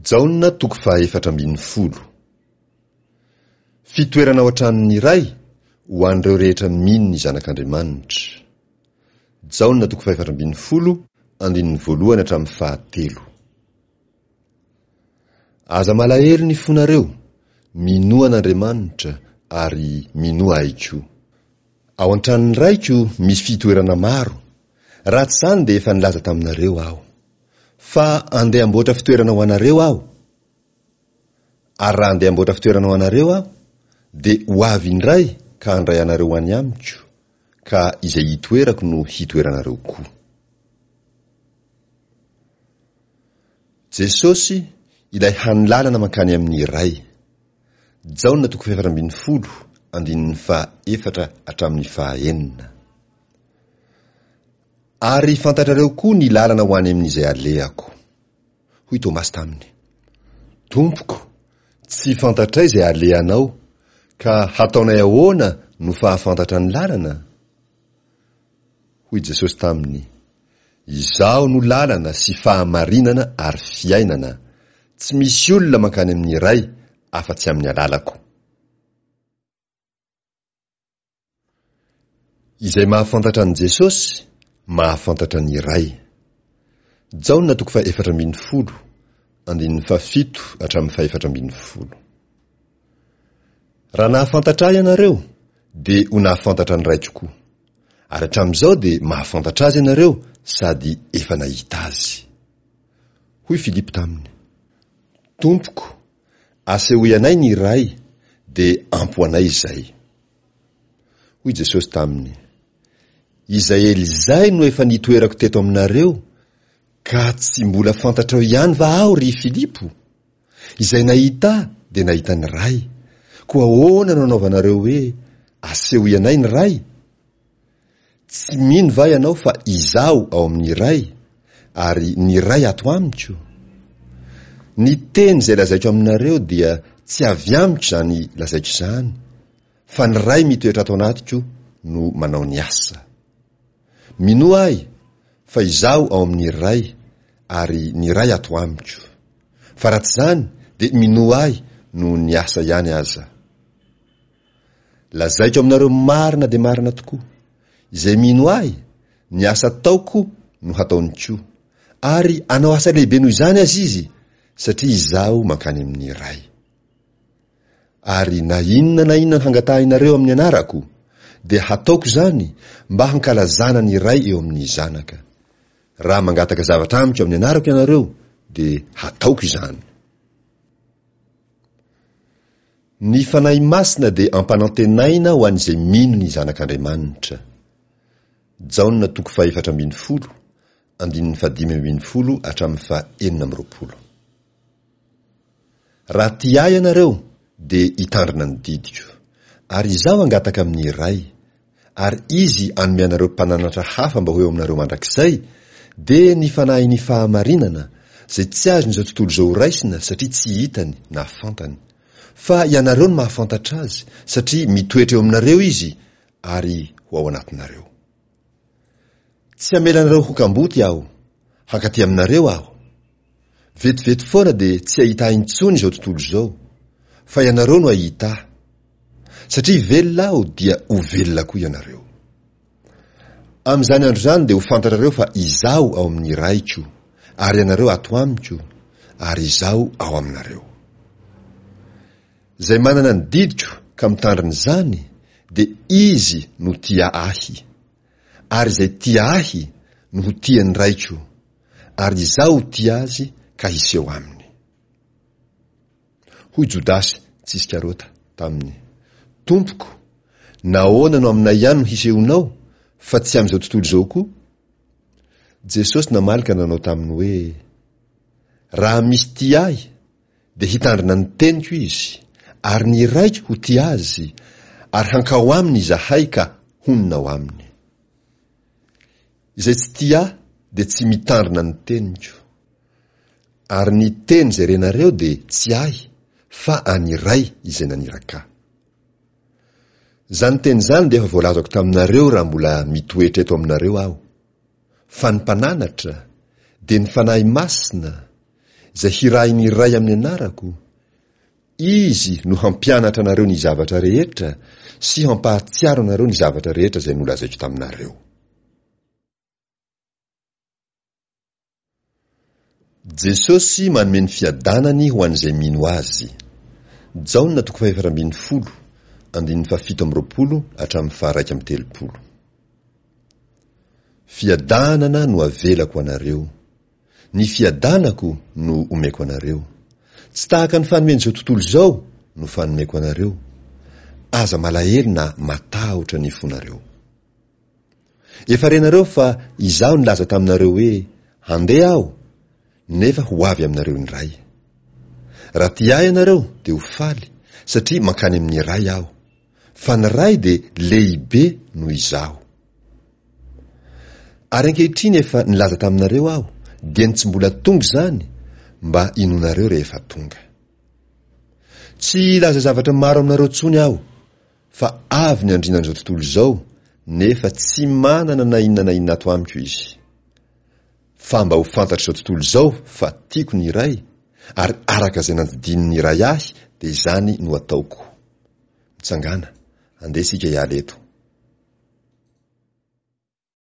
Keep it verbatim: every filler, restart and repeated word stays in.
Jaona toko fahaefatra ambin'ny folo. Fitoerana ao an-tranon'ny Ray ho an'ireo rehetra mino ny Zanak'Andriamanitra. Jaona toko fahefatra ambin'ny folo, andininy voalohany hatramin'ny fahatelo. Aza malahelo ny fonareo, minoa an'Andriamanitra ary minoa Ahy koa. Ao an-tranon'ny Raiko misy fitoerana maro, raha tsy izany dia efa nilaza taminareo Aho. Fa andeha hamboatra fitoerana ho anareo Aho. Ary raha andeha hamboatra fitoerana ho anareo Aho, dia ho avy indray ka handray anareo ho any amiko, ka izay hitoerako no hitoeranareo koa. Jesosy, ilay hany lalana mankany amin'ny Ray. Jaona toko fahefatra ambin'ny folo, andininy faha efatra hatramin'ny faha enina. Ary fantatrareo koa ny lalana ho any amin'izay alehako. Hoy Tomasy taminy, Tompoko, tsy fantatray izay alehanao, ka hataonay ahoana no fahafantatra ny lalana? Hoy Jesosy taminy, Izaho no lalana sy fahamarinana ary fiainana, tsy misy olona mankany amin'ny Ray afa-tsy amin'ny alalako. Izay mahafantatra an'i Jesosy, mahafantatra ny Ray. Jaona toko fahefatra ambin'ny folo, andininy fahafito hatramin'ny fahefatra ambin'ny folo. Raha nahafantatra Ahy ianareo, dia ho nahafantatra ny Raiko koa. Ary hatramin'izao dia mahafantatra Azy ianareo sady efa nahita Azy. Hoy Filipo taminy, Tompoko, asehoy anay ny Ray, dia ampy ho anay izay. Hoy Jesosy taminy, Izay ela izay no efa nitoerako teto aminareo, ka tsy mbola fantatrao ihany va Aho, ry Filipo? Izay nahita Ahy dia nahita ny Ray. Koa ahoana no anaovanareo hoe, Asehoy anay ny Ray? Tsy mino va ianao fa Izaho ao amin'ny Ray, ary ny Ray ato amiko? Ny teny izay lazaiko aminareo dia tsy avy amiko izany lazaiko izany, fa ny Ray mitoetra ato anatiko no manao ny asa. Minoa Ahy fa Izaho ao amin'ny Ray ary ny Ray ato amiko. Fa raha tsy izany dia minoa Ahy noho ny asa ihany aza. Lazaiko aminareo marina dia marina tokoa, izay mino Ahy, ny asa ataoko no hataony koa, ary hanao asa lehibe noho izany aza izy, satria Izaho mankany amin'ny Ray. Ary na inona na inona hangatahinareo amin'ny anarako, dia hataoko izany mba hankalazana ny Ray eo amin'ny Zanaka. Raha mangataka zavatra amiko amin'ny anarako ianareo, dia hataoko izany. Ny Fanahy Masina dia ampanantenaina ho an'izay mino ny Zanak'Andriamanitra. Jaona toko fahefatra ambin'ny folo, andininy fahadimy ambin'ny folo hatramin'ny fahenina amby roapolo. Raha tia Ahy ianareo, dia hitandrina ny didiko. Ary Izaho hangataka amin'ny Ray, ary Izy hanome anareo mpananatra hafa mba ho eo aminareo mandrakizay, dia ny Fanahin'ny fahamarinana, izay tsy azon'izao tontolo izao horaisina satria tsy hitany na fantany. Fa ianareo no mahafantatra Azy, satria mitoetra eo aminareo Izy ary ho ao anatinareo. Tsy hamela anareo ho kamboty Aho, hankaty aminareo Aho. Vetivety foana dia tsy hahita Ahy intsony izao tontolo izao, fa ianareo no hahita Ahy. Satria velona Aho dia ho velona koa ianareo. Amin'izany andro izany dia ho fantatrareo fa Izaho ao amin'ny Raiko, ary ianareo ato amiko, ary Izaho ao aminareo. Izay manana ny didiko ka mitandrina izany, dia izy no tia Ahy. Ary izay tia Ahy no ho tian'ny Raiko, ary Izaho ho tia azy ka hiseho aminy. Hoy Jodasy tsy Iskarota taminy, Tompoko, nahoana no aminay ihany no hisehoanao, fa tsy amin'izao tontolo izao koa? Jesosy namaly ka nanao taminy hoe, Raha misy tia Ahy, dia hitandrina ny teniko izy, ary ny Raiko ho tia azy, ary hankao aminy Izahay ka honina ao aminy. Izay tsy tia Ahy dia tsy mitandrina ny teniko. Ary ny teny izay renareo dia tsy Ahy, fa an'ny Ray izay naniraka Ahy. Izany teny izany dia efa voalazako taminareo raha mbola mitoetra eto aminareo Aho. Fa ny Mpananatra, dia ny Fanahy Masina, izay hirahin'ny Ray amin'ny anarako, Izy no hampianatra anareo ny zavatra rehetra sy hampahatsiaro anareo ny zavatra rehetra izay nolazaiko taminareo. Jesosy manome ny fiadanany ho an'izay mino Azy. Jaona toko fahefatra ambin'ny folo, andininy fahafito amby roapolo hatramin'ny faharaika amby telopolo. Fiadanana no avelako ho anareo. Ny fiadanako no omeko anareo. Tsy tahaka ny fanomen'izao tontolo izao no fanomeko anareo. Aza malahelo na matahotra ny fonareo. Efa renareo fa izaho nilaza taminareo hoe, Handeha aho, nefa ho avy aminareo indray. Raha tia ahy ianareo dia ho faly, satria mankany amin'ny Ray aho. Fa ny Ray dia lehibe noho izaho. Ary ankehitriny efa nilaza taminareo aho, dieny tsy mbola tonga izany, mba hinoanareo rehefa tonga. Tsy hilaza zavatra maro aminareo intsony aho, fa avy ny andrianan'izao tontolo izao, nefa tsy manana na inona na inona ato amiko izy. Fa mba ho fantatr'izao tontolo izao fa tiako ny Ray, ary araka izay nandidian'ny Ray ahy dia izany no ataoko. Mitsangàna, andeha isika hiala eto.